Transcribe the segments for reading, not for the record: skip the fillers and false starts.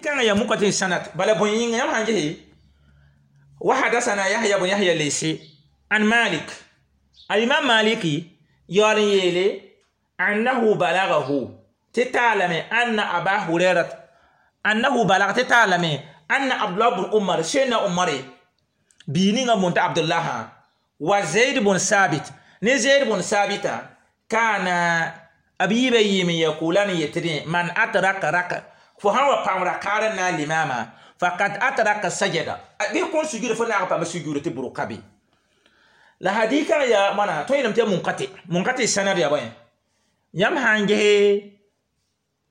Kãngã yaa mukati sanat bala bõe yĩnga yãmb sãn gese wa hadasana Yahya bun Yahya Lesi an Malik al-Imam Maliki yaool n yeele annahu balagahu tɩ taalame anna Aba Hurairat annahu balaga tɩ taalame anna Abdullah bun Umar Sena Umare bii ninga bõn t'a Abdullah wa Zaid bun Sabit ne Zaid bun Sabita kana b yiibã yɩɩm n yakulan yetɩdẽ man atraka raka fo sãn wa paam rakaar n na n limaamã fakad atraka sajada bɩ kõn sujuda fo naag n paam sujuda tɩ bʋrg ka be la hadikã yaa wãna tõe yeelame tɩ yaa munkate munkate sanad yaa bõe yãmb sã n gese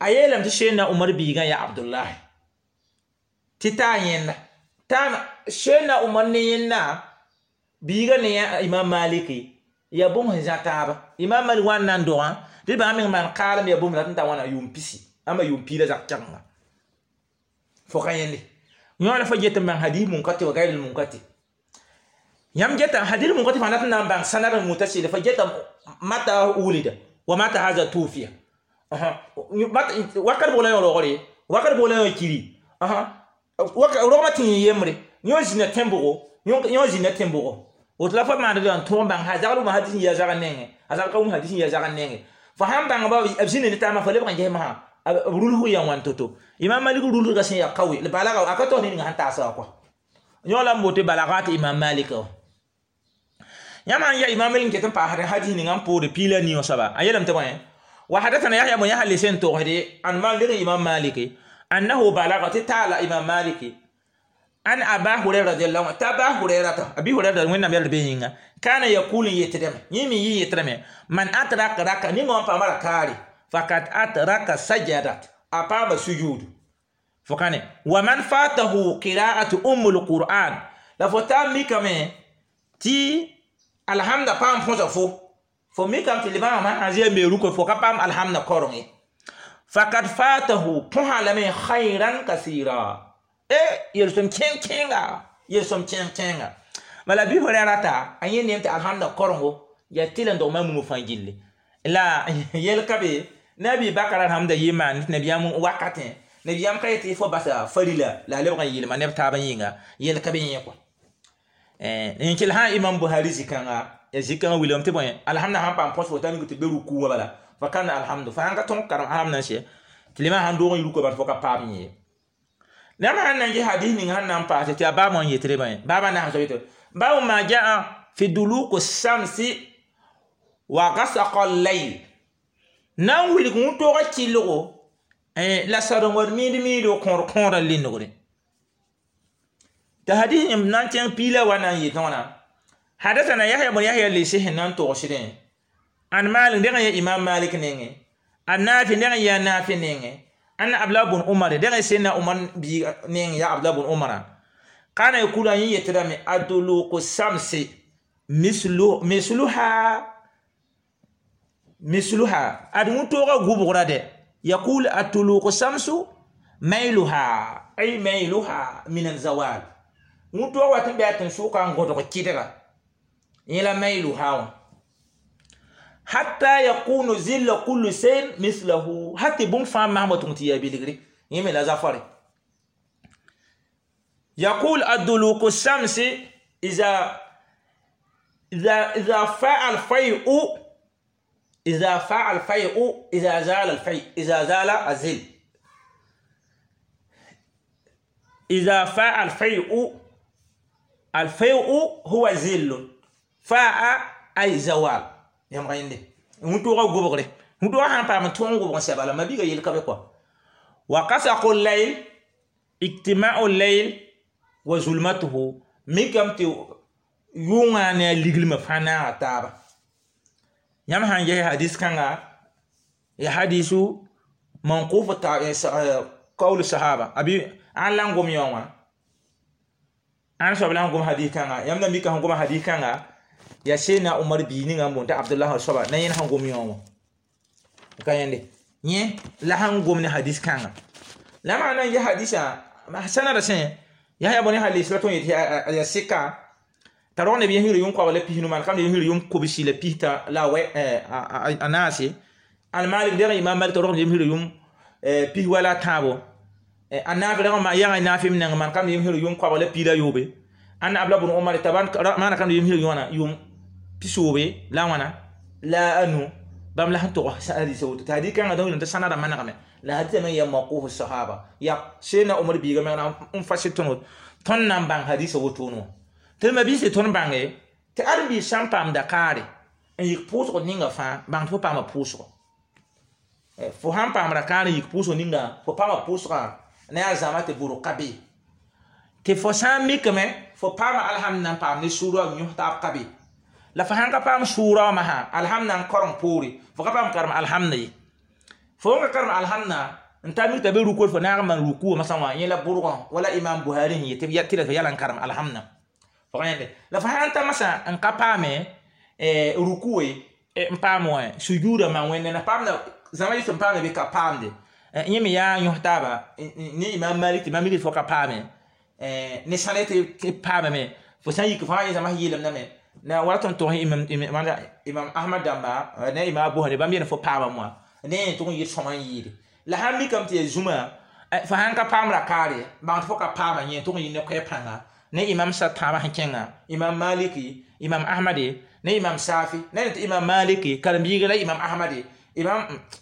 a yeelame tɩ Sena Umar biigã yaa Abdullahi tɩ taa yẽnda taa Sena Umar ne yẽnda biigã ne Imam Maliki yaa bũmb sẽn zã taaba Imam Malik wa n na n dogã tɩ bãmb meng maan kaalem yaa bũmb rat n ta wãna yʋʋm pisi ãmba yʋʋm piig la zak kɛgenga fo ka yẽnde yõ la fo get n bãng hadis munkate wa gayril munkate yãmb geta hadis munkate fãa dat n na n bãng sanad n mutasila fo geta mata wulida wa mata haza tufiya wakat bʋg la yõ rogre wakat bʋg la yõ kiri rogmã tɩ yẽ yembre yõ zĩna tẽn-bʋgo yõ zĩna tẽn-bʋgo woto la fo maand n tõog n bãng zagl wʋma hadis n yɩ a zagr nengẽ a zagl ka wʋm hadis n yɩ a zagr nengẽ fo sãn bãng ba b zĩna ne taabã fo lebg n ges masã b rulsg yaa wãn to-to Imam Malik rulsga sẽn yaa kaoe la balaga a ka taoor ne ninga sẽn taasa wã kɔa yõ la n bote balagat Imam Malik wã yãmb sãn yaa Imam Malik n ket n paasd hadis ninga n poore piig la nii wã soaba a yeelame tɩ bõe wa hadathana Yahya bun Yahya lesi n togsde an Malik Imam Malik annahu balaga tɩ taala Imam Malik an Aba Hurairah radiallahu anhu t'a Aba Hurairata Abi Hurairah wẽnnaam yɛl b yĩnga kana yakul n yetdame yẽ me yɩ yetdame man atraka raka ninga wã n paama rakaare fakad atraka sajadat a paama sujud fo kane wa man fatahu qira'atu ummul qur'an la fo taa mikame tɩ alhamda paam põsa fo fo mikame tɩ limaamã sã zɩ a me rukã fo ka paam alhamda koreng ye fakad fatahu põsa lame khayran kasira e yel-sõm kẽng-kẽnga yel-sõm kẽng-kẽnga bala bɩ fo ra rata a yẽ neem tɩ alhamda korengo yaa tɩl n dog ma mumg fãa gilli la yel ka be nabi bakar alhamda yɩ maan tɩ nabiyaam wakatẽ nabiyaam ka yetɩ fo basa farila la a lebg n yɩlma neb taabã yĩnga yel ka be yẽ kɔa n kell sã Imam Buhari zĩ-kãnga ya zĩ-kãngã wilgame tɩ bõe alhamda sãn paam põs fo t'a ning tɩ be ruku wã bala fa kana alhamdu fo sãn ka tõg karem alhamda n sɛ tɩ lemã sãn doog n yɩ rukã bala fo ka paam yẽ yãmb sãn na n ges hadis ning sãn na n paase tɩ yaa baabã n yetre bãe baabã na n soab yetɩ baabu ma jaa fi duluku samsi wa gasaqa layl na n wilg wʋntooga kɩlgo la sadengd miid miido kõor kõorã lindgre tɩ hadis yẽmb na n kẽng piig la wa na n yetẽ wãna hadasana Yahya bun Yahya lesi sẽn na n togsdẽ an Malik dẽg n yaa Imam Malik nengẽ a Naafi dẽg n yaa Naafi nengẽ anna Abdullah bun Umar dẽg n Sena Umar biiga neng yaa Abdullah bun Umara kana yakulu a yẽ yetdame aduluku samsi misluha misluha ad wʋntooga gʋbgra dɛ yakul atuluku samsu mailuha ay mailuha min alzawal wʋntooga wat n bɩ a tẽn-sʋka n gõdg kɩdga yẽ la mailuha wã hatta yakunu zilla kullu shayin mislahu hati bũmb fãa masma tʋg tɩ yaa bilgre yẽ me la zafare يقول الدلوك الشمس إذا فاء الفيء إذا فاء الفيء إذا زال الفيء إذا زال الزل إذا فاء الفيء الفيء هو زل فاء أي زوال yãmb rẽnde wũtooga gʋbgre wũtooga sãn paam n tõog gʋbg n sɛ bala mabiiga yel ka be kɔa wa kasaqu layl ijtimau layl wa zulmatuhu mikame tɩ yʋngã ne a liglmã fãa naaga taaba yãmb sãn ges hadis kãnga ya hadisu manquf qawl sahaba abi an la n gom yõ wã ãn soab la n gom hadis kãnga yãmb na mika sẽn goma hadis kãnga ya Sena Umar bii ninga n boond t'a Abdullah soaba na yẽnd sẽn gom yõ wã ka yẽnde yẽ la sẽn gom ne hadis kãnga la maa na n ges hadisã sanada sẽ Yahya bõe ne hadis la tõe n yetɩ ya sɩka t'a rog neb yẽsgr yʋm koabg la pisnu maan kam yẽsgr yʋm kobsi la pista la a naase al Malik dẽg Imam Malik t'a rog neb yẽsgr yʋm pis wala tãabo A naafi rag ma yãga naafɩm neng maan kam yem sɩr yʋm koabg la piida yoobe. Ãnna Abdullah bun Omar t'a maana kam yem sɩr yõna yʋm pisoobe la wãna la anu bãmb la sẽn tog hadisa woto tɩ hadis kãngã dõn tɩ sãnada manegame la hadisa me yaa mawquf sahaba ya sena Omar biiga meng n fasɩ tõnd tõnd na n bãng hadisa wotone wã tɩ d mabiisã tõnd bãnge tɩ ãdem-biis sã n paam dakaare n yik pʋʋsg ninga fãa bãng tɩ fo paama pʋʋsgo fo sãn paam rakaar n yik pʋʋsg ninga fo paama pʋʋsgã ne yaa zãma tɩ bʋrg ka be tɩ fo sã n mikame fo paama alhamd n paam ne sʋʋra n yõs taab ka be la fo sãn ka paam sʋʋra wã masã alhamd n kareng poore fo ka paam karem alhamda ye fo ka karem alhamda n ta mik t'a be rukod fo naag n maan ruku masã wã yẽ la bʋrgã wala Imam Buhari sẽn yet tɩ la fo yala n karem alhamda fo ka yẽnde la fo sãn ta masã n ka paame ruku n paam wã sujuuda maan wẽnde na paamda zãma yɩs n paamda bɩ ka paamde yẽ me yaa yõs taaba ne Imam Malik tɩ mam fo ka paame ne sãne tɩ paamame fo sã n yik fãa yẽ zãma sẽn yeelemdame na wala tõnd tog Imam Ahmad dãmba ne Imam Abu Hanifa bãmb yel fo paamame wã ne yẽ tʋg n yɩ sõma n yɩɩde la sãn mikame tɩ yaa zũma fo sãn ka paam rakaare bãng tɩ fo ka paama yẽ tʋg n yɩ ne koɛɛ pãnga ne Imam sa tãabã sẽn kẽngã Imam Maliki, Imam Ahmade ne Imam Safi ne tɩ Imam Maliki karen-biiga la Imam Ahmade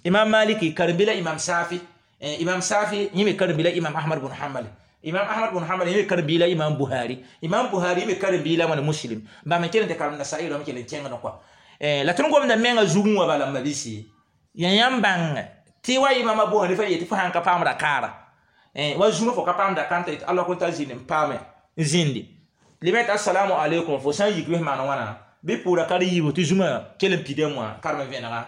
Imam Maliki karen-bi la Imam Safi Imam Safi yẽ me karen-bi la Imam Ahmad bn Hanbal Imam Ahmad bn Hanbal yẽ me karen-bi la Imam Buhari Imam Buhari yẽ me karen-bi la wãna Muslim bãmb n kell n tɩ karem Nasa'i rãmb kell n kẽngd kɔa la tõnd gomda menga zugẽ wã bala m mabisi ya yãmb bãng tɩ wa Imam Abu Hanifa yetɩ fo sãn ka paam rakaara wa zũma fo ka paam rakãntã yetɩ Allah kõn t'a zĩnd n paame n zĩndi lema tɩ assalamu alaikum fo sã n yik wes maan wãna bɩ pʋʋra ka yiibu tɩ zũma kell n pidame wã karem vẽnega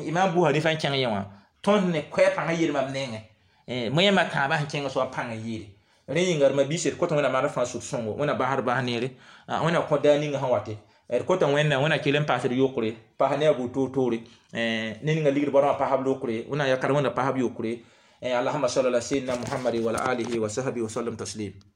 Imam Abu Hanifa n kẽng yẽ wã tõnd ne koɛɛ pãngã yel mam nengẽ moyẽmã tãabã sẽn kẽng soab pãng n yɩɩde rẽ yĩnga d mabiisã d kõt Wẽnnaam maana fãa sũ-sõngo Wẽnna basd bas neere Wẽnna kõ daar ninga sẽn wate d kõta Wẽnnaam Wẽnna kell n paasd yokre paas ne a buud toor-toore ne ninga ligd baorã paasb lokre Wẽnnaam yakar Wẽnna paasb yokre. Allahuma salli ala sayyidina Muhammad wa ala alihi wa sahbihi wa sallam taslim.